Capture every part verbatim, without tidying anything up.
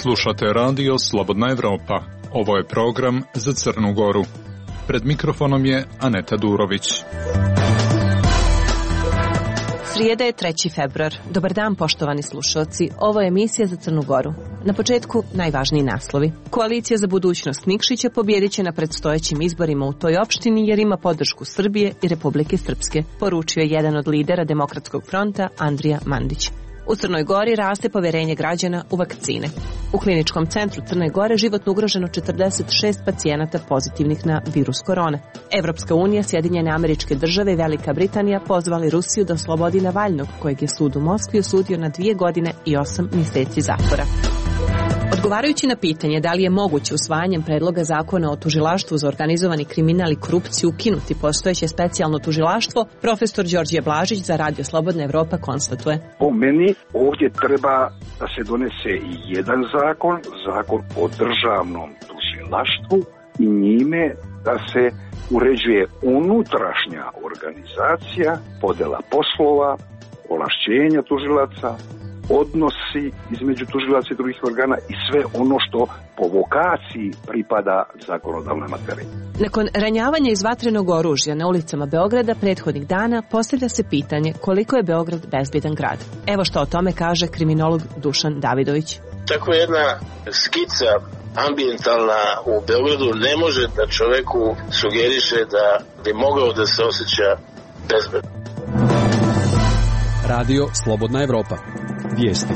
Slušate radio Slobodna Evropa. Ovo je program za Crnu Goru. Pred mikrofonom je Aneta Durović. Srijeda je treći februar. Dobar dan, poštovani slušalci. Ovo je emisija za Crnu Goru. Na početku najvažniji naslovi. Koalicija za budućnost Nikšića pobijedit će na predstojećim izborima u toj opštini jer ima podršku Srbije i Republike Srpske, poručio je jedan od lidera Demokratskog fronta Andrija Mandić. U Crnoj Gori raste povjerenje građana u vakcine. U kliničkom centru Crne Gore životno ugroženo četrdeset šest pacijenata pozitivnih na virus korone. Evropska unija, Sjedinjene Američke Države i Velika Britanija pozvali Rusiju da oslobodi Navalnog, kojeg je sud u Moskvi osudio na dvije godine i osam mjeseci zatvora. Odgovarajući na pitanje da li je moguće usvajanjem predloga zakona o tužilaštvu za organizovani kriminal i korupciju ukinuti postojeće specijalno tužilaštvo, profesor Đorđe Blažić za Radio Slobodna Evropa konstatuje. Po meni ovdje treba da se donese jedan zakon, zakon o državnom tužilaštvu i njime da se uređuje unutrašnja organizacija, podjela poslova, ovlašćenja tužilaca, odnosi između tužilaca i drugih organa i sve ono što po vokaciji pripada zakonodavnoj materiji. Nakon ranjavanja iz vatrenog oružja na ulicama Beograda prethodnih dana postavlja se pitanje koliko je Beograd bezbjedan grad. Evo što o tome kaže kriminolog Dušan Davidović. Tako jedna skica ambijentalna u Beogradu ne može da čoveku sugeriše da bi mogao da se osjeća bezbedno. Radio Slobodna Evropa. Vijesti.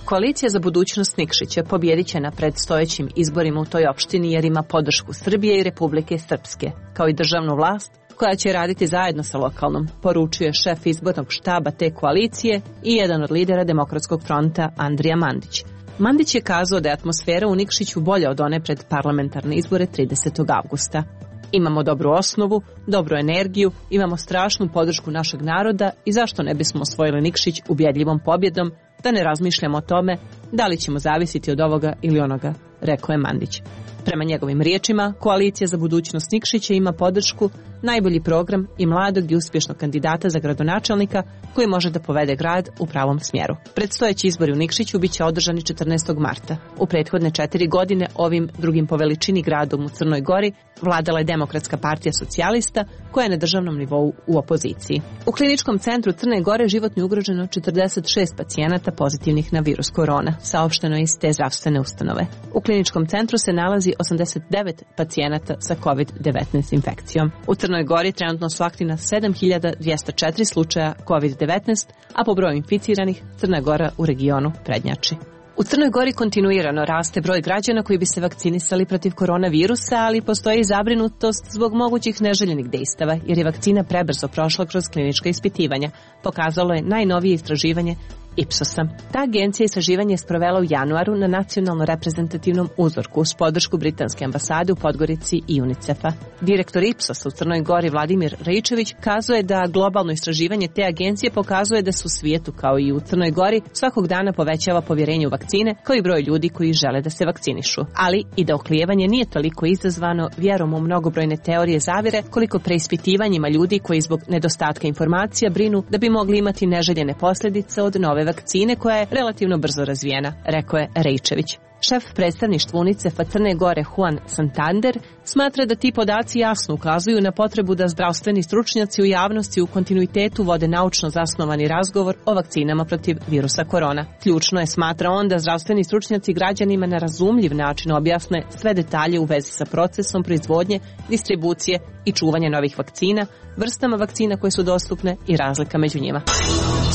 Koalicija za budućnost Nikšića pobijedit će na predstojećim izborima u toj opštini jer ima podršku Srbije i Republike Srpske, kao i državnu vlast koja će raditi zajedno sa lokalnom, poručuje šef izbornog štaba te koalicije i jedan od lidera Demokratskog fronta Andrija Mandić. Mandić je kazao da je atmosfera u Nikšiću bolja od one pred parlamentarne izbore tridesetog avgusta. Imamo dobru osnovu, dobru energiju, imamo strašnu podršku našeg naroda i zašto ne bismo osvojili Nikšić ubjedljivom pobjedom, da ne razmišljamo o tome da li ćemo zavisiti od ovoga ili onoga, rekao je Mandić. Prema njegovim riječima, koalicija za budućnost Nikšića ima podršku, najbolji program i mladog i uspješnog kandidata za gradonačelnika koji može da povede grad u pravom smjeru. Predstojeći izbori u Nikšiću biće održani četrnaestog marta. U prethodne četiri godine ovim drugim po veličini gradom u Crnoj Gori vladala je Demokratska partija socijalista koja je na državnom nivou u opoziciji. U kliničkom centru Crne Gore životno je ugroženo četrdeset šest pacijenata pozitivnih na virus korona, saopšteno iz te zdravstvene ustanove. U kliničkom centru se nalazi osamdeset devet pacijenata sa kovid devetnaest infekcijom. U Crnoj Gori trenutno su aktivna sedam hiljada dvjesto četiri slučaja kovid devetnaest, a po broju inficiranih Crna Gora u regionu prednjači. U Crnoj Gori kontinuirano raste broj građana koji bi se vakcinisali protiv koronavirusa, ali postoji zabrinutost zbog mogućih neželjenih dejstava, jer je vakcina prebrzo prošla kroz klinička ispitivanja, pokazalo je najnovije istraživanje Ipsosa. Ta agencija istraživanje je sprovela u januaru na nacionalno reprezentativnom uzorku uz podršku britanske ambasade u Podgorici i UNICEF-a. Direktor Ipsosa u Crnoj Gori Vladimir Rejčević kazuje da globalno istraživanje te agencije pokazuje da se u svijetu kao i u Crnoj Gori svakog dana povećava povjerenje u vakcine kao i broj ljudi koji žele da se vakcinišu. Ali i da oklijevanje nije toliko izazvano vjerom u mnogobrojne teorije zavjere koliko preispitivanjima ljudi koji zbog nedostatka informacija brinu da bi mogli imati neželjene posljedice od nove vakcine koja je relativno brzo razvijena, rekao je Rejčević. Šef predstavništva UNICEF-a Crne Gore Juan Santander smatra da ti podaci jasno ukazuju na potrebu da zdravstveni stručnjaci u javnosti u kontinuitetu vode naučno zasnovani razgovor o vakcinama protiv virusa korona. Ključno je, smatra on, da zdravstveni stručnjaci građanima na razumljiv način objasne sve detalje u vezi sa procesom proizvodnje, distribucije i čuvanja novih vakcina, vrstama vakcina koje su dostupne i razlika među njima.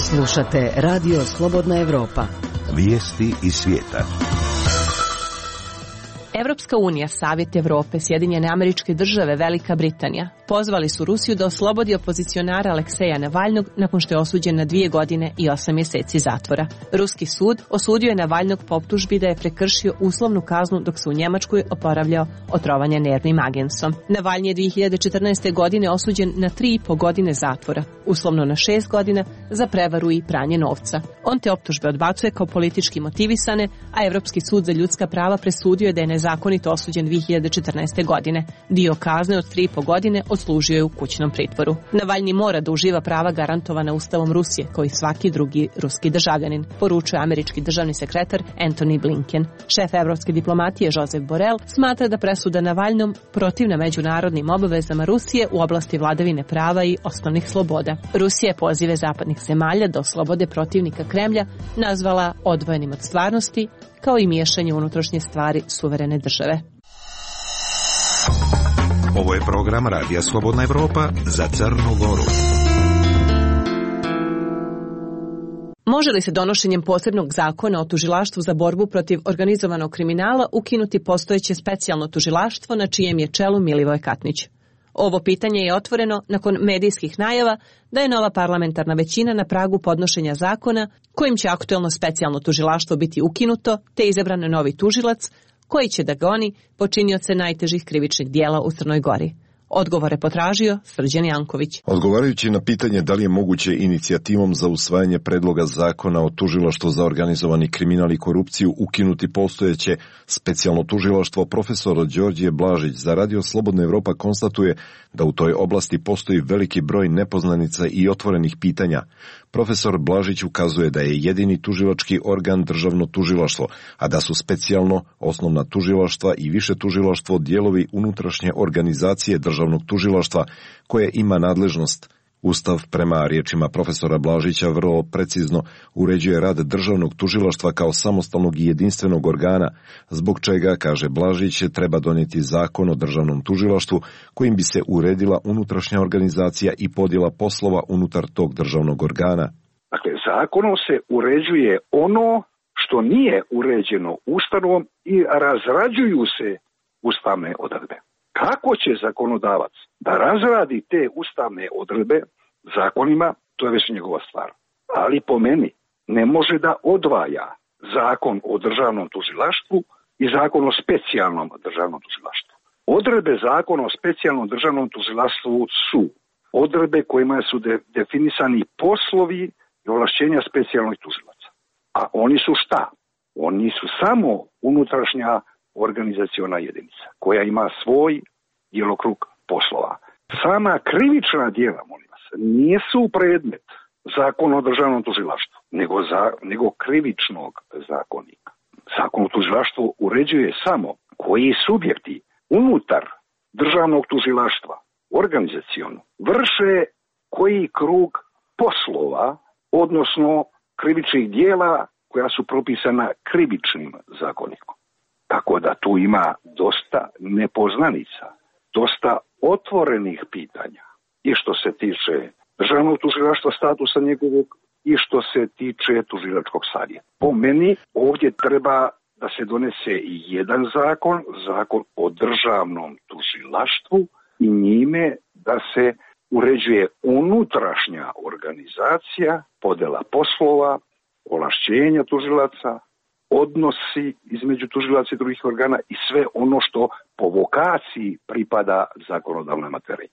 Slušate Radio Slobodna Evropa. Vijesti iz svijeta. Evropska unija, Savjet Evrope, Sjedinjene Američke Države, Velika Britanija pozvali su Rusiju da oslobodi opozicionara Alekseja Navalnog nakon što je osuđen na dvije godine i osam mjeseci zatvora. Ruski sud osudio je Navalnog po optužbi da je prekršio uslovnu kaznu dok se u Njemačkoj oporavljao od trovanja nervnim agensom. Navalnji je dvije hiljade četrnaeste. godine osuđen na tri i po godine zatvora, uslovno na šest godina za prevaru i pranje novca. On te optužbe odbacuje kao politički motivisane, a Evropski sud za ljudska prava presudio je da je nezavisno nezakonito osuđen dvije hiljade četrnaeste. godine. Dio kazne od tri i po godine odslužio je u kućnom pritvoru. Navalnji mora da uživa prava garantovana Ustavom Rusije, kao i svaki drugi ruski državljanin, poručuje američki državni sekretar Antony Blinken. Šef evropske diplomatije Josep Borrell smatra da presuda Navalnom protivna međunarodnim obavezama Rusije u oblasti vladavine prava i osnovnih sloboda. Rusija je pozive zapadnih zemalja da oslobode protivnika Kremlja nazvala odvojenim od stvarnosti, kao i miješanje unutrašnje stvari suverene države. Ovo je program Radija Slobodna Evropa za Crnu Goru. Može li se donošenjem posebnog zakona o tužilaštvu za borbu protiv organizovanog kriminala ukinuti postojeće specijalno tužilaštvo na čijem je čelu Milivoje Katnić? Ovo pitanje je otvoreno nakon medijskih najava da je nova parlamentarna većina na pragu podnošenja zakona kojim će aktuelno specijalno tužilaštvo biti ukinuto te izabran novi tužilac koji će da goni počinioce najtežih krivičnih dijela u Crnoj Gori. Odgovore potražio Srđan Janković. Odgovarajući na pitanje da li je moguće inicijativom za usvajanje predloga zakona o tužilaštvu za organizovani kriminal i korupciju ukinuti postojeće specijalno tužilaštvo, profesor Đorđe Blažić za Radio Slobodna Evropa konstatuje da u toj oblasti postoji veliki broj nepoznanica i otvorenih pitanja. Profesor Blažić ukazuje da je jedini tužilački organ državno tužilaštvo, a da su specijalno osnovna tužilaštva i više tužilaštvo dijelovi unutrašnje organizacije državnog tužilaštva koje ima nadležnost. Ustav, prema riječima profesora Blažića, vrlo precizno uređuje rad državnog tužilaštva kao samostalnog i jedinstvenog organa, zbog čega, kaže Blažić, treba donijeti zakon o državnom tužilaštvu kojim bi se uredila unutrašnja organizacija i podjela poslova unutar tog državnog organa. Dakle, zakonom se uređuje ono što nije uređeno Ustavom i razrađuju se ustavne odredbe. Kako će zakonodavac da razradi te ustavne odredbe zakonima, to je već njegova stvar. Ali po meni ne može da odvaja zakon o državnom tužilaštvu i zakon o specijalnom državnom tužilaštvu. Odredbe zakona o specijalnom državnom tužilaštvu su odredbe kojima su de- definisani poslovi i ovlašćenja specijalnih tužilaca. A oni su šta? Oni su samo unutrašnja organizaciona jedinica koja ima svoj djelokrug poslova. Sama krivična djela, molim vas, nisu predmet zakona o državnom tužilaštvu, nego, za, nego krivičnog zakonika. Zakon o tužilaštvu uređuje samo koji subjekti unutar državnog tužilaštva, organizaciono, vrše koji krug poslova, odnosno krivičnih djela koja su propisana krivičnim zakonikom. Tako da tu ima dosta nepoznanica, dosta otvorenih pitanja i što se tiče državnog tužilaštva, statusa njegovog i što se tiče tužilačkog savjeta. Po meni ovdje treba da se donese jedan zakon, zakon o državnom tužilaštvu i njime da se uređuje unutrašnja organizacija, podjela poslova, ovlašćenja tužilaca, odnosi između tužilaca i drugih organa i sve ono što po vokaciji pripada zakonodavnoj materiji.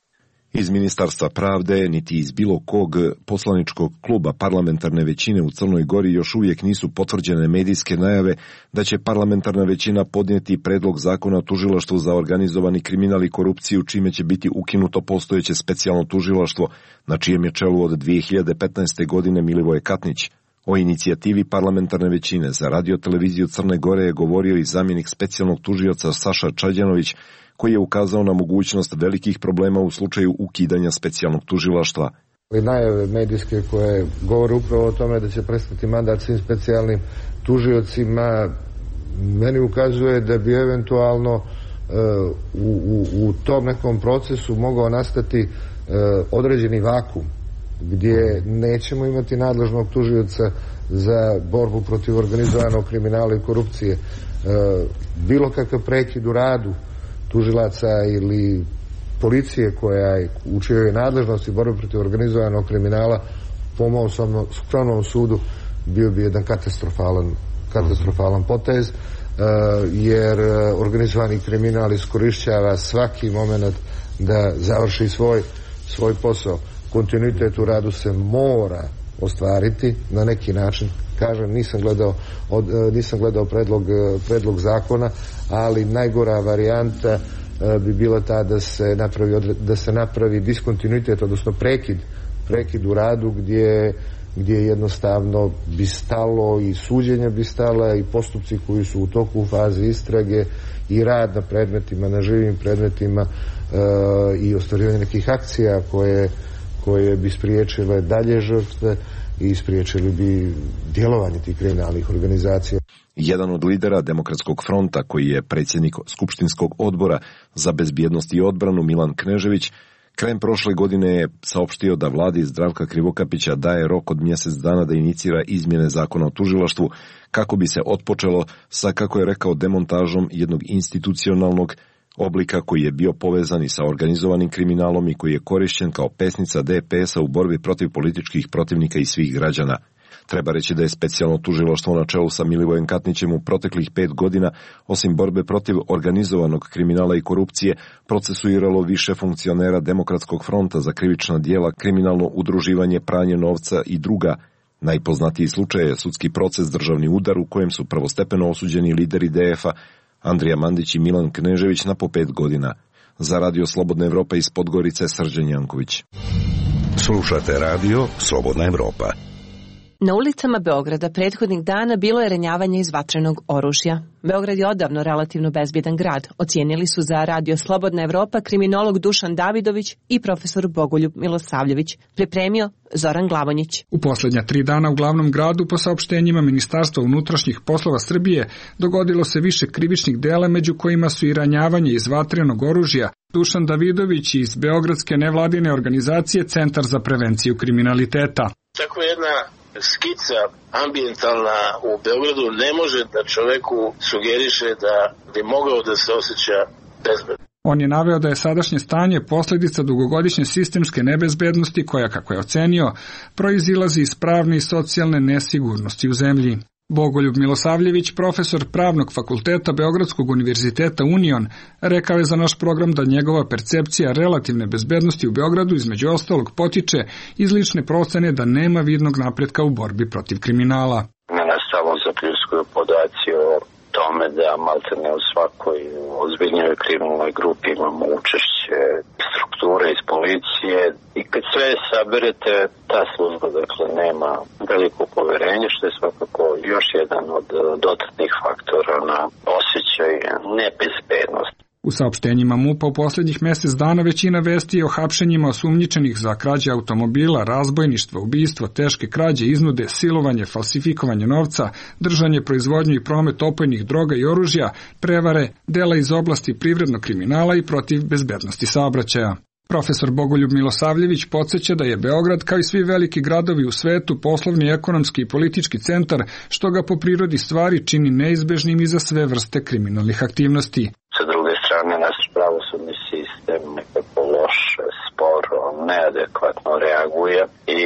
Iz Ministarstva pravde, niti iz bilo kog poslaničkog kluba parlamentarne većine u Crnoj Gori još uvijek nisu potvrđene medijske najave da će parlamentarna većina podnijeti predlog zakona o tužilaštvu za organizovani kriminal i korupciju, čime će biti ukinuto postojeće specijalno tužilaštvo, na čijem je čelu od dvije hiljade petnaeste. godine Milivoje Katnić. O inicijativi parlamentarne većine za radio-televiziju Crne Gore je govorio i zamjenik specijalnog tužioca Saša Čađanović, koji je ukazao na mogućnost velikih problema u slučaju ukidanja specijalnog tužilaštva. Najave medijske koje govore upravo o tome da će prestati mandat svim specijalnim tužiocima, meni ukazuje da bi eventualno uh, u, u, u tom nekom procesu mogao nastati uh, određeni vakum, gdje nećemo imati nadležnog tužioca za borbu protiv organizovanog kriminala i korupcije. E, bilo kakav prekid u radu tužilaca ili policije koja je u čijoj nadležnosti borbe protiv organizovanog kriminala, po mom skromnom sudu, bio bi jedan katastrofalan, katastrofalan potez, e, jer organizovani kriminal iskorišćava svaki moment da završi svoj, svoj posao. Kontinuitet u radu se mora ostvariti na neki način. Kažem, nisam gledao, od, nisam gledao predlog, predlog zakona, ali najgora varijanta bi bila ta da se napravi, da se napravi diskontinuitet, odnosno prekid, prekid u radu gdje, gdje jednostavno bi stalo i suđenja bi stala i postupci koji su u toku u fazi istrage i rad na predmetima, na živim predmetima e, i ostvarivanje nekih akcija koje, koje bi spriječile dalje žrtve i spriječili bi djelovanje tih kriminalnih organizacija. Jedan od lidera Demokratskog fronta, koji je predsjednik Skupštinskog odbora za bezbjednost i odbranu, Milan Knežević, krajem prošle godine je saopštio da vladi Zdravka Krivokapića daje rok od mjesec dana da inicira izmjene zakona o tužilaštvu kako bi se otpočelo sa, kako je rekao, demontažom jednog institucionalnog oblika koji je bio povezan i sa organizovanim kriminalom i koji je korišćen kao pesnica D P S-a u borbi protiv političkih protivnika i svih građana. Treba reći da je specijalno tužilaštvo na čelu sa Milivojem Katnićem u proteklih pet godina, osim borbe protiv organizovanog kriminala i korupcije, procesuiralo više funkcionera Demokratskog fronta za krivična djela, kriminalno udruživanje, pranje novca i druga. Najpoznatiji slučaj je sudski proces Državni udar u kojem su prvostepeno osuđeni lideri D F-a Andrija Mandić i Milan Knežević na po pet godina. Za Radio Slobodna Evropa iz Podgorice, Srđan Janković. Slušate Radio Slobodna Evropa. Na ulicama Beograda prethodnih dana bilo je ranjavanje iz vatrenog oružja. Beograd je odavno relativno bezbjedan grad, ocijenili su za Radio Slobodna Evropa kriminolog Dušan Davidović i profesor Bogoljub Milosavljević. Pripremio Zoran Glavonjić. U posljednja tri dana u glavnom gradu, po saopštenjima Ministarstva unutrašnjih poslova Srbije, dogodilo se više krivičnih dela, među kojima su i ranjavanje iz vatrenog oružja. Dušan Davidović iz beogradske nevladine organizacije Centar za prevenciju kriminaliteta. Tako jedna skica ambijentalna u Beogradu ne može da čoveku sugeriše da bi mogao da se osjeća bezbedno. On je naveo da je sadašnje stanje posljedica dugogodišnje sistemske nebezbednosti koja, kako je ocenio, proizilazi iz pravne i socijalne nesigurnosti u zemlji. Bogoljub Milosavljević, profesor Pravnog fakulteta Beogradskog univerziteta Union, rekao je za naš program da njegova percepcija relativne bezbednosti u Beogradu između ostalog potiče iz lične procene da nema vidnog napretka u borbi protiv kriminala. Mene samo zapljuskuje podaci o tome da maltene u svakoj ozbiljnoj kriminalnoj grupi imamo učešće strukture iz policije i kad sve saberete, ta služba dakle nema veliko poverenje, što je svakako još jedan od dodatnih faktora na osjećaj nebezbednosti. U saopštenjima MUP-a u posljednjih mjesec dana većina vesti je o hapšenjima osumnjičenih za krađe automobila, razbojništvo, ubistvo, teške krađe, iznude, silovanje, falsifikovanje novca, držanje, proizvodnju i promet opojnih droga i oružja, prevare, dela iz oblasti privrednog kriminala i protiv bezbednosti saobraćaja. Profesor Bogoljub Milosavljević podsjeća da je Beograd, kao i svi veliki gradovi u svetu, poslovni, ekonomski i politički centar, što ga po prirodi stvari čini neizbežnim i za sve vrste kriminalnih aktivnosti. Sa druge strane, naš pravosudni sistem nekako loše, sporo, neadekvatno reaguje i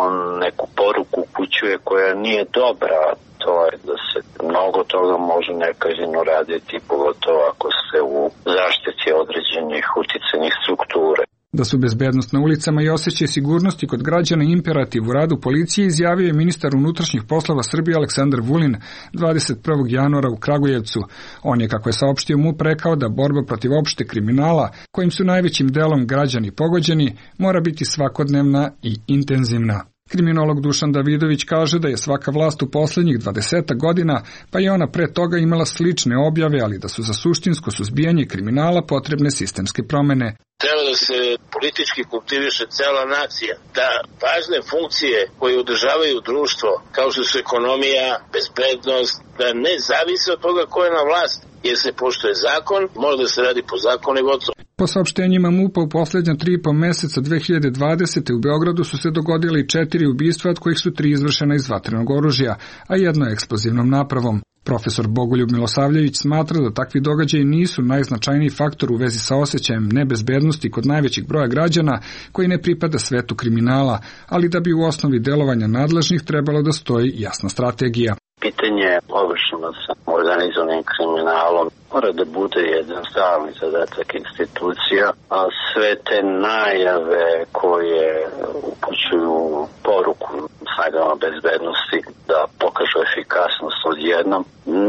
on neku poruku upućuje koja nije dobra. To je da se mnogo toga može nekažnjeno raditi, pogotovo ako se u zaštiti određenih uticajnih strukture. Da su bezbednost na ulicama i osjećaj sigurnosti kod građana imperativ u radu policije, izjavio je ministar unutrašnjih poslova Srbije Aleksandar Vulin dvadeset prvog januara u Kragujevcu. On je, kako je saopštio MUP, rekao da borba protiv opšte kriminala, kojim su najvećim delom građani pogođeni, mora biti svakodnevna i intenzivna. Kriminolog Dušan Davidović kaže da je svaka vlast u posljednjih dvadesetak godina, pa i ona pre toga, imala slične objave, ali da su za suštinsko suzbijanje kriminala potrebne sistemske promene. Treba da se politički kultiviše cela nacija, da važne funkcije koje održavaju društvo, kao što su ekonomija, bezbednost, da ne zavise od toga ko je na vlast, jer se poštuje zakon, može da se radi po zakonu i gotovo. Po saopštenjima MUP-a u posljednja tri i po meseca dve hiljade dvadesete. u Beogradu su se dogodili četiri ubistva, od kojih su tri izvršena iz vatrenog oružja, a jedno eksplozivnom napravom. Profesor Bogoljub Milosavljević smatra da takvi događaji nisu najznačajniji faktor u vezi sa osjećajem nebezbednosti kod najvećeg broja građana koji ne pripada svetu kriminala, ali da bi u osnovi delovanja nadležnih trebalo da stoji jasna strategija. Pitanje obračuna sa organizovanim kriminalom mora da bude jedan stalni zadatak institucija, a sve te najave koje upućuju poruku snagama bezbednosti da pokažu efikasnost odjednom,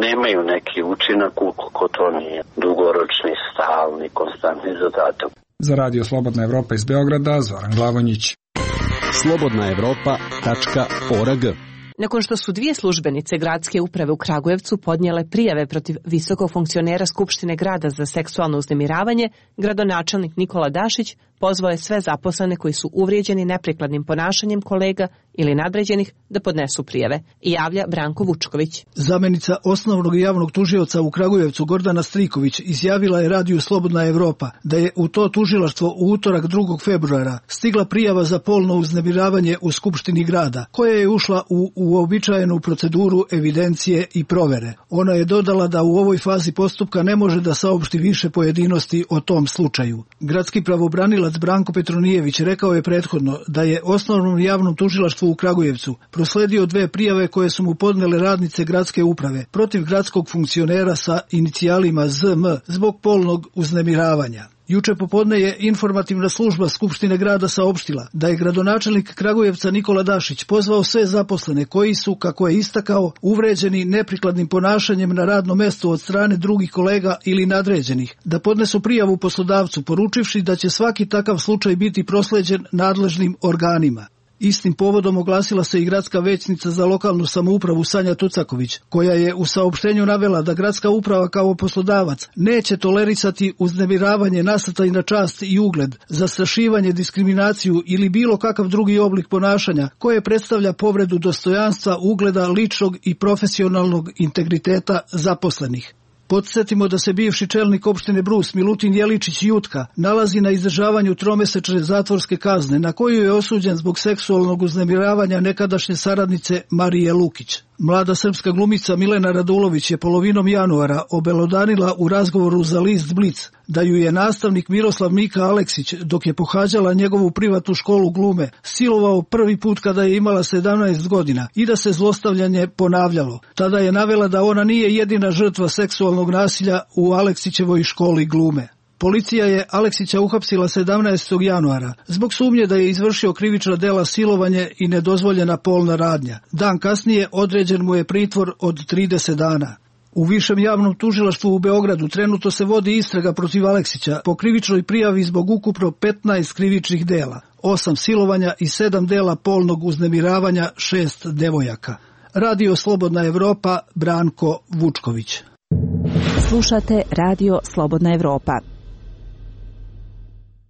nemaju neki učinak ukoliko to nije dugoročni, stalni, konstantni zadatak. Za Radio Slobodna Evropa iz Beograda, Zoran Glavonjić. slobodna evropa tačka org. Nakon što su dvije službenice gradske uprave u Kragujevcu podnijele prijave protiv visokog funkcionera Skupštine grada za seksualno uznemiravanje, gradonačelnik Nikola Dašić pozvao je sve zaposlene koji su uvrijeđeni neprikladnim ponašanjem kolega ili nadređenih da podnesu prijave, i javlja Branko Vučković. Zamenica osnovnog javnog tužioca u Kragujevcu Gordana Striković izjavila je Radiju Slobodna Evropa da je u to tužilaštvo u utorak drugog februara stigla prijava za polno uznemiravanje u Skupštini grada, koja je ušla u uobičajenu proceduru evidencije i provere. Ona je dodala da u ovoj fazi postupka ne može da saopšti više pojedinosti o tom slučaju. Gradski pravobranilac Branko Petronijević rekao je prethodno da je osnovnom javnom tužilaštvu u Kragujevcu prosledio dve prijave koje su mu podnele radnice gradske uprave protiv gradskog funkcionera sa inicijalima Z M zbog polnog uznemiravanja. Juče popodne je informativna služba Skupštine grada saopštila da je gradonačelnik Kragujevca Nikola Dašić pozvao sve zaposlene koji su, kako je istakao, uvređeni neprikladnim ponašanjem na radnom mestu od strane drugih kolega ili nadređenih, da podnesu prijavu poslodavcu, poručivši da će svaki takav slučaj biti prosleđen nadležnim organima. Istim povodom oglasila se i gradska većnica za lokalnu samoupravu Sanja Tucaković, koja je u saopštenju navela da gradska uprava kao poslodavac neće tolerisati uznemiravanje nasrtaj na čast i ugled, zastrašivanje, diskriminaciju ili bilo kakav drugi oblik ponašanja koje predstavlja povredu dostojanstva, ugleda, ličnog i profesionalnog integriteta zaposlenih. Podsjetimo da se bivši čelnik opštine Brus Milutin Jeličić Jutka nalazi na izdržavanju tromesečne zatvorske kazne na koju je osuđen zbog seksualnog uznemiravanja nekadašnje saradnice Marije Lukić. Mlada srpska glumica Milena Radulović je polovinom januara obelodanila u razgovoru za list Blic da ju je nastavnik Miroslav Mika Aleksić, dok je pohađala njegovu privatnu školu glume, silovao prvi put kada je imala sedamnaest godina i da se zlostavljanje ponavljalo. Tada je navela da ona nije jedina žrtva seksualnog nasilja u Aleksićevoj školi glume. Policija je Aleksića uhapsila sedamnaestog januara zbog sumnje da je izvršio krivična dela silovanje i nedozvoljena polna radnja. Dan kasnije određen mu je pritvor od trideset dana. U Višem javnom tužilaštvu u Beogradu trenutno se vodi istraga protiv Aleksića po krivičnoj prijavi zbog ukupno petnaest krivičnih dela, osam silovanja i sedam dela polnog uznemiravanja šest devojaka. Radio Slobodna Evropa, Branko Vučković. Slušate Radio Slobodna Evropa.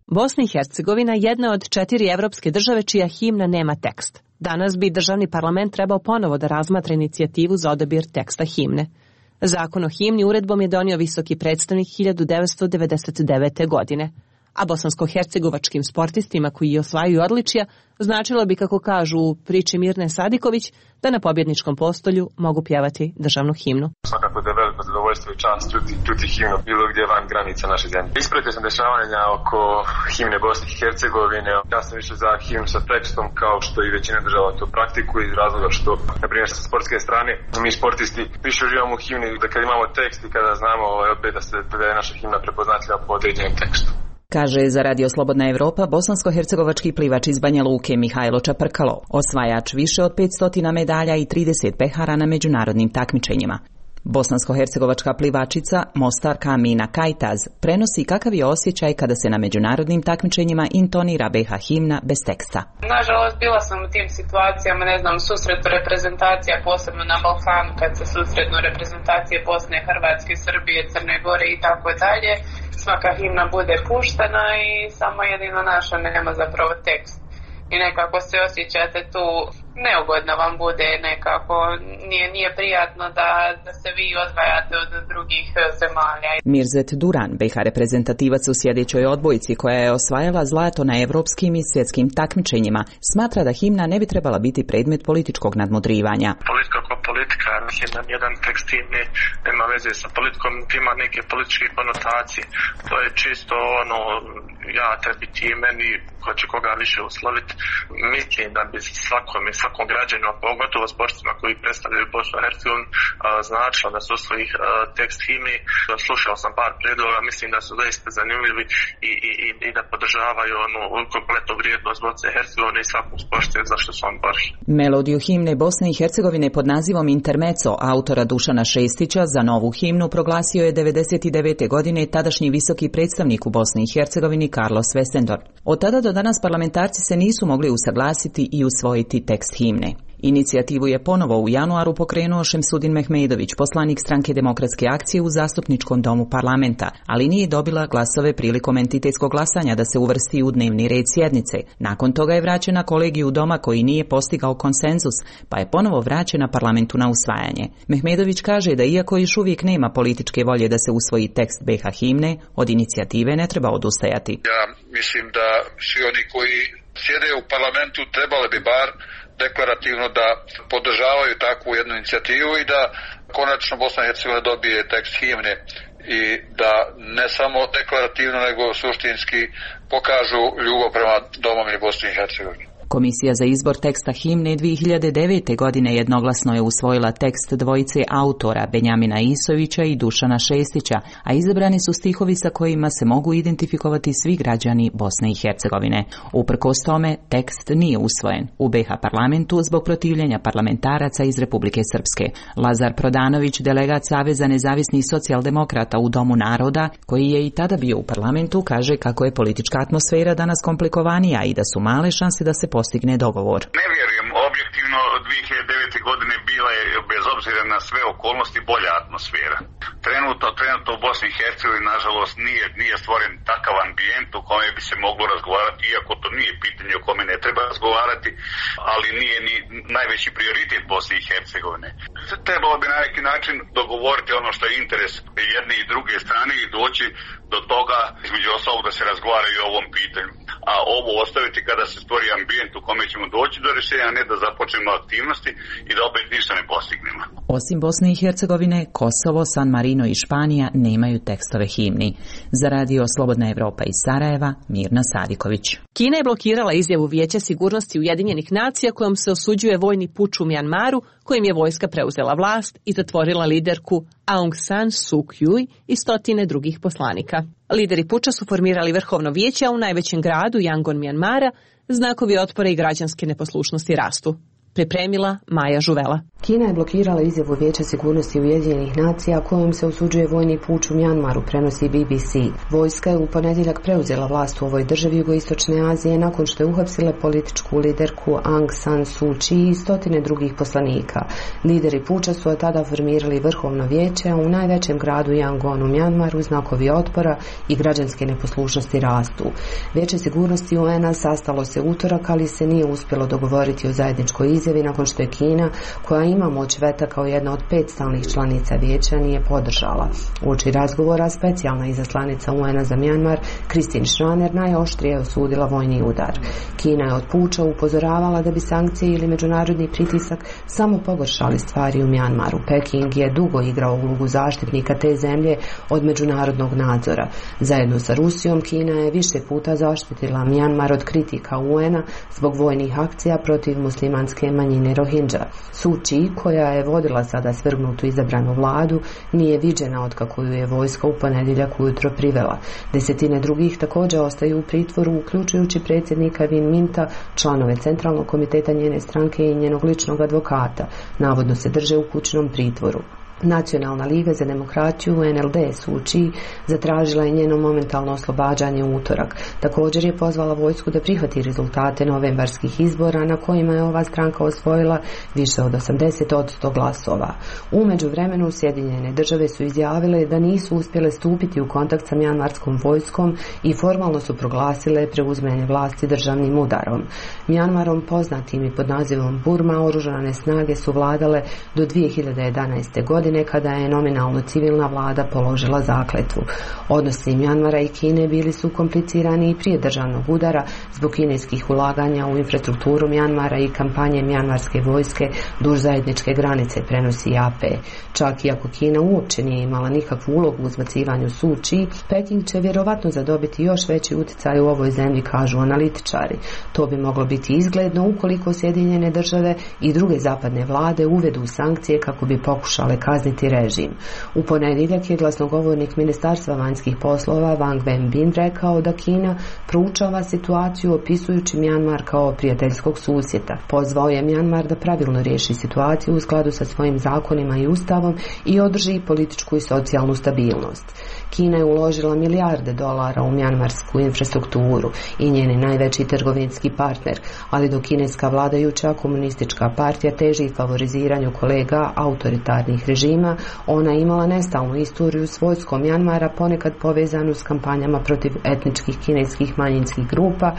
Bosna i Hercegovina jedna od četiri evropske države čija himna nema tekst. Danas bi državni parlament trebao ponovo da razmatra inicijativu za odabir teksta himne. Zakon o himni uredbom je donio visoki predstavnik hiljadu devetsto devedeset devete. godine. A bosansko-hercegovačkim sportistima koji osvajaju odličja značilo bi, kako kažu u priči Mirne Sadiković, da na pobjedničkom postolju mogu pjevati državnu himnu. Svakako da je veliko zadovoljstvo i čast čuti, čuti himnu bilo gdje van granica naše zemlje. Ispratio sam dešavanja oko himne Bosne i Hercegovine. Ja sam više za himnu sa tekstom, kao što i većina država to praktikuje, iz razloga što, na primjer, sa sportske strane, mi sportisti više uživamo u himni da kad imamo tekst i kada znamo opet da se da je naša himna prepoznatljiva po određenom tekstu. Kaže za Radio Slobodna Evropa bosansko-hercegovački plivač iz Banja Luke Mihajlo Čaprkalo, osvajač više od petsto medalja i trideset pehara na međunarodnim takmičenjima. Bosansko-hercegovačka plivačica Mostarka Amina Kajtaz prenosi kakav je osjećaj kada se na međunarodnim takmičenjima intonira B H himna bez teksta. Nažalost, bila sam u tim situacijama, ne znam, susretu reprezentacija, posebno na Balkanu, kad se susretnu reprezentacije Bosne, Hrvatske, Srbije, Crne Gore i tako dalje. Svaka himna bude puštena i samo jedino naša nema zapravo tekst. I nekako se osjećate tu, neugodno vam bude, nekako nije, nije prijatno da, da se vi odvajate od drugih zemalja. Mirzet Duran, B H reprezentativac u sjedećoj odbojci koja je osvajala zlato na evropskim i svjetskim takmičenjima, smatra da himna ne bi trebala biti predmet političkog nadmudrivanja. Politika kao politika, himna jedan tekst himne nema veze sa politikom, ima neke političke konotacije. To je čisto ono, ja tebi ti meni, ko će koga više usloviti. Mislim da bi svakome, svakom građaninu, a pogotovo sportstvima koji predstavljaju Bosnu i Hercegovinu, značilo da su usvoji tekst himne. Slušao sam par predloga, mislim da su zaista zanimljivi i, i, i da podržavaju onu kompletnu vrijednost Bosne i Hercegovine i svakog sporta zašto su on borili. Melodiju himne Bosne i Hercegovine pod nazivom Intermezzo autora Dušana Šestića za novu himnu proglasio je devedeset devete. godine tadašnji visoki predstavnik u Bosni i Hercegovini Carlos Westendorp. Od tada do danas parlamentarci se nisu mogli usaglasiti i usvojiti tekst himne. Inicijativu je ponovo u januaru pokrenuo Šemsudin Mehmedović, poslanik Stranke demokratske akcije u zastupničkom domu parlamenta, ali nije dobila glasove prilikom entitetskog glasanja da se uvrsti u dnevni red sjednice. Nakon toga je vraćena kolegiju doma koji nije postigao konsenzus, pa je ponovo vraćena parlamentu na usvajanje. Mehmedović kaže da iako još uvijek nema političke volje da se usvoji tekst B H himne, od inicijative ne treba odustajati. Ja mislim da svi oni koji sjede u parlamentu trebali bi bar deklarativno da podržavaju takvu jednu inicijativu i da konačno Bosna i Hercegovina dobije tekst himne i da ne samo deklarativno nego suštinski pokažu ljubav prema domovini Bosni i Hercegovini. Komisija za izbor teksta himne dvije hiljade devete. godine jednoglasno je usvojila tekst dvojice autora Benjamina Isovića i Dušana Šestića, a izabrani su stihovi sa kojima se mogu identifikovati svi građani Bosne i Hercegovine. Uprkos tome, tekst nije usvojen u B H parlamentu zbog protivljenja parlamentaraca iz Republike Srpske. Lazar Prodanović, delegat Saveza nezavisnih socijaldemokrata u Domu naroda, koji je i tada bio u parlamentu, kaže kako je politička atmosfera danas komplikovanija i da su male šanse da se postigne dogovor. Ne vjerujem, objektivno dvije hiljade devete. godine bila je, bez obzira na sve okolnosti, bolja atmosfera. Trenutno, trenutno u Bosni i Hercegovini, nažalost, nije, nije stvoren takav ambijent u kome bi se moglo razgovarati, iako to nije pitanje o kome ne treba razgovarati, ali nije ni najveći prioritet Bosne i Hercegovine. Trebalo bi na neki način dogovoriti ono što je interes jedne i druge strane i doći do toga, između ostalog, da se razgovara i o ovom pitanju. A ovo ostaviti kada se stvori ambijent u kome ćemo doći do rješenja, ne da započnemo aktivnosti i da opet ništa ne postignemo. Osim Bosne i Hercegovine, Kosovo, San Marino i Španija nemaju tekstove himni. Za radio Slobodna Evropa iz Sarajeva, Mirna Sadiković. Kina je blokirala izjavu Vijeća sigurnosti Ujedinjenih nacija kojom se osuđuje vojni puč u Mjanmaru, kojim je vojska preuzela vlast i zatvorila liderku Aung San Suu Kyi i stotine drugih poslanika. Lideri puča su formirali vrhovno vijeće, a u najvećem gradu Yangon Mjanmara znakovi otpora i građanske neposlušnosti rastu. Pripremila Maja Žuvela. Kina je blokirala izjavu Vijeća sigurnosti Ujedinjenih nacija kojom se osuđuje vojni puč u Mjanmaru, prenosi B B C. Vojska je u ponedjeljak preuzela vlast u ovoj državi jugoistočne Azije nakon što je uhapsila političku liderku Aung San Suu Kyi i stotine drugih poslanika. Lideri puča su od tada formirali vrhovno vijeće, a u najvećem gradu Yangon u Mjanmaru znakovi otpora i građanske neposlušnosti rastu. Vijeće sigurnosti U N-a sastalo se utorak, ali se nije uspjelo dogovoriti o zajedničkoj izjavi nakon što je Kina, koja ima moć veta kao jedna od pet stalnih članica vijeća, nije podržala. Uoči razgovora specijalna izaslanica U N-a za Mjanmar, Christine Schraner, najoštrije osudila vojni udar. Kina je od puča upozoravala da bi sankcije ili međunarodni pritisak samo pogoršali stvari u Mjanmaru. Peking je dugo igrao ulogu zaštitnika te zemlje od međunarodnog nadzora. Zajedno sa Rusijom, Kina je više puta zaštitila Mjanmar od kritika U N-a zbog vojnih akcija protiv muslimanske manjine Rohingya. Suu Kyi, koja je vodila sada svrgnutu izabranu vladu, nije viđena od kako ju je vojska u ponedjeljak ujutro privela. Desetine drugih također ostaju u pritvoru, uključujući predsjednika Win Minta, članove centralnog komiteta njene stranke i njenog ličnog advokata. Navodno se drže u kućnom pritvoru. Nacionalna liga za demokratiju N L D Suu Kyi zatražila je njeno momentalno oslobađanje u utorak. Također je pozvala vojsku da prihvati rezultate novembarskih izbora na kojima je ova stranka osvojila više od osamdeset posto glasova. U međuvremenu Sjedinjene države su izjavile da nisu uspjele stupiti u kontakt sa mjanmarskom vojskom i formalno su proglasile preuzimanje vlasti državnim udarom. Mjanmarom, poznatim i pod nazivom Burma, oružane snage su vladale do dvije hiljade jedanaeste. godine godine kada je nominalno civilna vlada položila zakletvu. Odnosi Mjanmara i Kine bili su komplicirani i prije državnog udara zbog kineskih ulaganja u infrastrukturu Mjanmara i kampanje mjanmarske vojske duž zajedničke granice, prenosi A P. Čak i ako Kina uopće nije imala nikakvu ulogu u uzbacivanju Suu Kyi, Peking će vjerovatno zadobiti još veći utjecaj u ovoj zemlji, kažu analitičari. To bi moglo biti izgledno ukoliko Sjedinjene države i druge zapadne vlade uvedu sankcije kako bi pokušale kazniti režim. U ponedjeljak je glasnogovornik Ministarstva vanjskih poslova Wang Wenbin rekao da Kina proučava situaciju opisujući Mjanmar kao prijateljskog susjeda. Pozvao je Mjanmar da pravilno riješi situaciju u skladu sa svojim zakonima i ustavom i održi političku i socijalnu stabilnost. Kina je uložila milijarde dolara u mjanmarsku infrastrukturu i njeni najveći trgovinski partner, ali dok kineska vladajuća komunistička partija teži favoriziranju kolega autoritarnih režima, ona je imala nestalnu istoriju s vojskom Mjanmara, ponekad povezanu s kampanjama protiv etničkih kineskih manjinskih grupa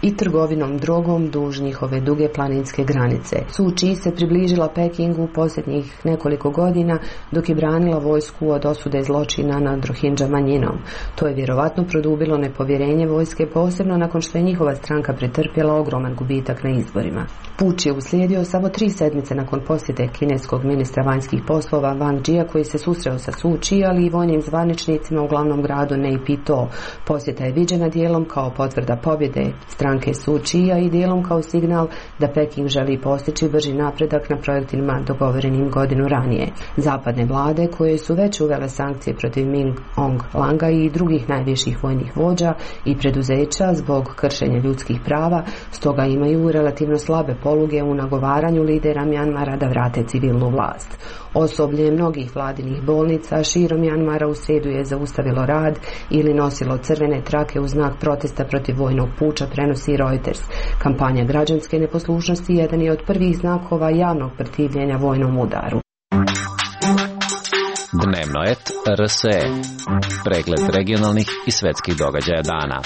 i trgovinom drogom duž njihove duge planinske granice. Suu Kyi se približila Pekingu posljednjih nekoliko godina dok je branila vojsku od osude zločina nad Rohingya manjinom. To je vjerovatno produbilo nepovjerenje vojske, posebno nakon što je njihova stranka pretrpjela ogroman gubitak na izborima. Puč je uslijedio samo tri sedmice nakon posjete kineskog ministra vanjskih poslova Wang Jia, koji se susreo sa Suu Kyi, ali i vojnim zvaničnicima u glavnom gradu Naypyidaw. Posjeta je viđena dijelom kao potvrda pobjede stranke Suu Kyi i dijelom kao signal da Peking želi postići brži napredak na projektima dogovorenim godinu ranije. Zapadne vlade, koje su već uvele sankcije protiv Min Aung Hlainga i drugih najviših vojnih vođa i preduzeća zbog kršenja ljudskih prava, stoga imaju relativno slabe poluge u nagovaranju lidera Mjanmara da vrate civilnu vlast. Osoblje mnogih vladinih bolnica širom Mjanmara u srijedu je zaustavilo rad ili nosilo crvene trake u znak protesta protiv vojnog puča, prenosi Reuters. Kampanja građanske neposlušnosti jedan je od prvih znakova javnog protivljenja vojnom udaru. Dnevnoet R S E. Pregled regionalnih i svetskih događaja dana.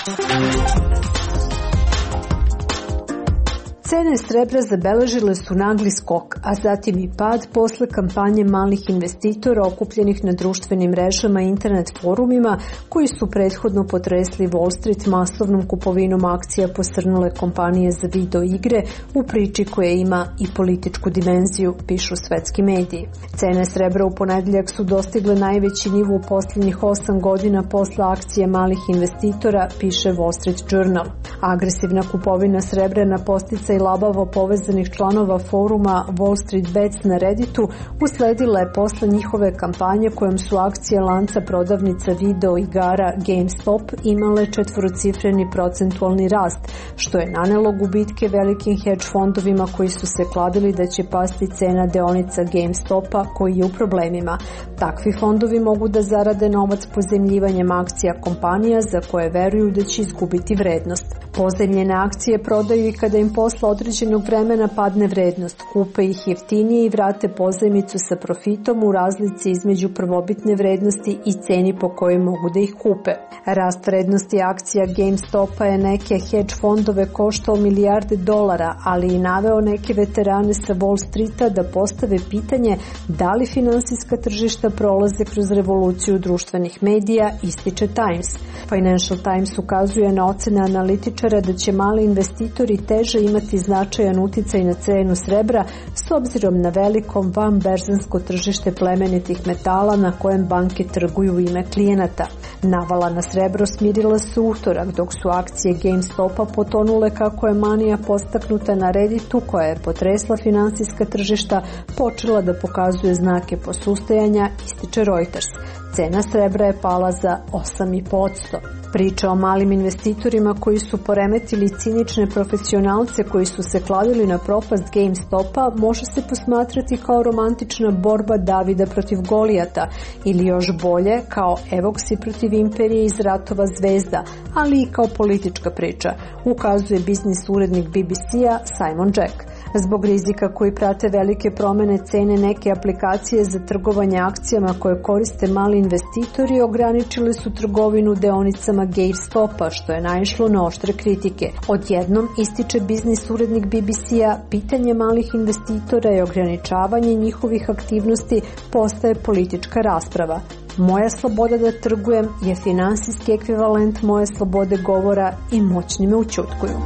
Cene srebra zabeležile su nagli skok, a zatim i pad posle kampanje malih investitora okupljenih na društvenim mrežama i internet forumima koji su prethodno potresli Wall Street masovnom kupovinom akcija posrnule kompanije za video igre u priči koja ima i političku dimenziju, pišu svetski mediji. Cene srebra u ponedjeljak su dostigle najveći nivo u posljednjih osam godina posle akcije malih investitora, piše Wall Street Journal. Agresivna kupovina srebra na posticaj labavo povezanih članova foruma Wall Street Bets na Redditu usledila je posle njihove kampanje kojom su akcije lanca prodavnica video igara GameStop imale četvorocifreni procentualni rast, što je nanelo gubitke velikim hedge fondovima koji su se kladili da će pasti cena deonica GameStopa koji je u problemima. Takvi fondovi mogu da zarade novac pozemljivanjem akcija kompanija za koje veruju da će izgubiti vrednost. Pozemljene akcije prodaju i kada im posle određenog vremena padne vrednost, kupe ih jeftinije i vrate pozajmicu sa profitom u razlici između prvobitne vrednosti i ceni po kojoj mogu da ih kupe. Rast vrednosti akcija GameStopa je neke hedge fondove koštao milijarde dolara, ali i naveo neke veterane sa Wall Streeta da postave pitanje da li finansijska tržišta prolaze kroz revoluciju društvenih medija, ističe Times. Financial Times ukazuje na ocene analitičara da će mali investitori teže imati značajan uticaj na cenu srebra s obzirom na veliko vanberzansko tržište plemenitih metala na kojem banke trguju u ime klijenata. Navala na srebro smirila se utorak, dok su akcije GameStopa potonule kako je manija postaknuta na Redditu, koja je potresla finansijska tržišta, počela da pokazuje znake posustajanja, ističe Reuters. Cena srebra je pala za osam zarez pet posto. Priča o malim investitorima koji su poremetili cinične profesionalce koji su se kladili na propast GameStopa može se posmatrati kao romantična borba Davida protiv Golijata ili još bolje kao Evoksi protiv imperije iz Ratova zvezda, ali i kao politička priča, ukazuje biznis urednik B B C-a Simon Jack. Zbog rizika koji prate velike promene cene, neke aplikacije za trgovanje akcijama koje koriste mali investitori ograničile su trgovinu deonicama GameStopa, što je naišlo na oštre kritike. Odjednom, ističe biznis urednik B B C-a, pitanje malih investitora i ograničavanje njihovih aktivnosti postaje politička rasprava. Moja sloboda da trgujem je finansijski ekvivalent moje slobode govora i moćni me ućutkuju.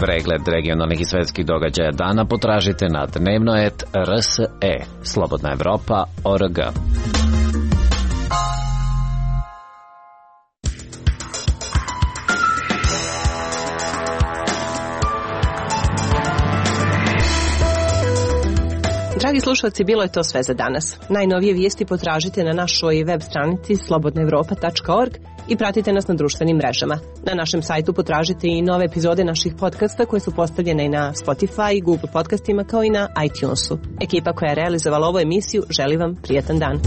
Pregled regionalnih i svetskih događaja dana potražite na dnevnoet R S E, Slobodna Evropa, O R G. Dragi slušalci, bilo je to sve za danas. Najnovije vijesti potražite na našoj web stranici slobodna evropa tačka org i pratite nas na društvenim mrežama. Na našem sajtu potražite i nove epizode naših podcasta koje su postavljene i na Spotify, Google podcastima kao i na iTunesu. Ekipa koja je realizovala ovu emisiju želi vam prijatan dan.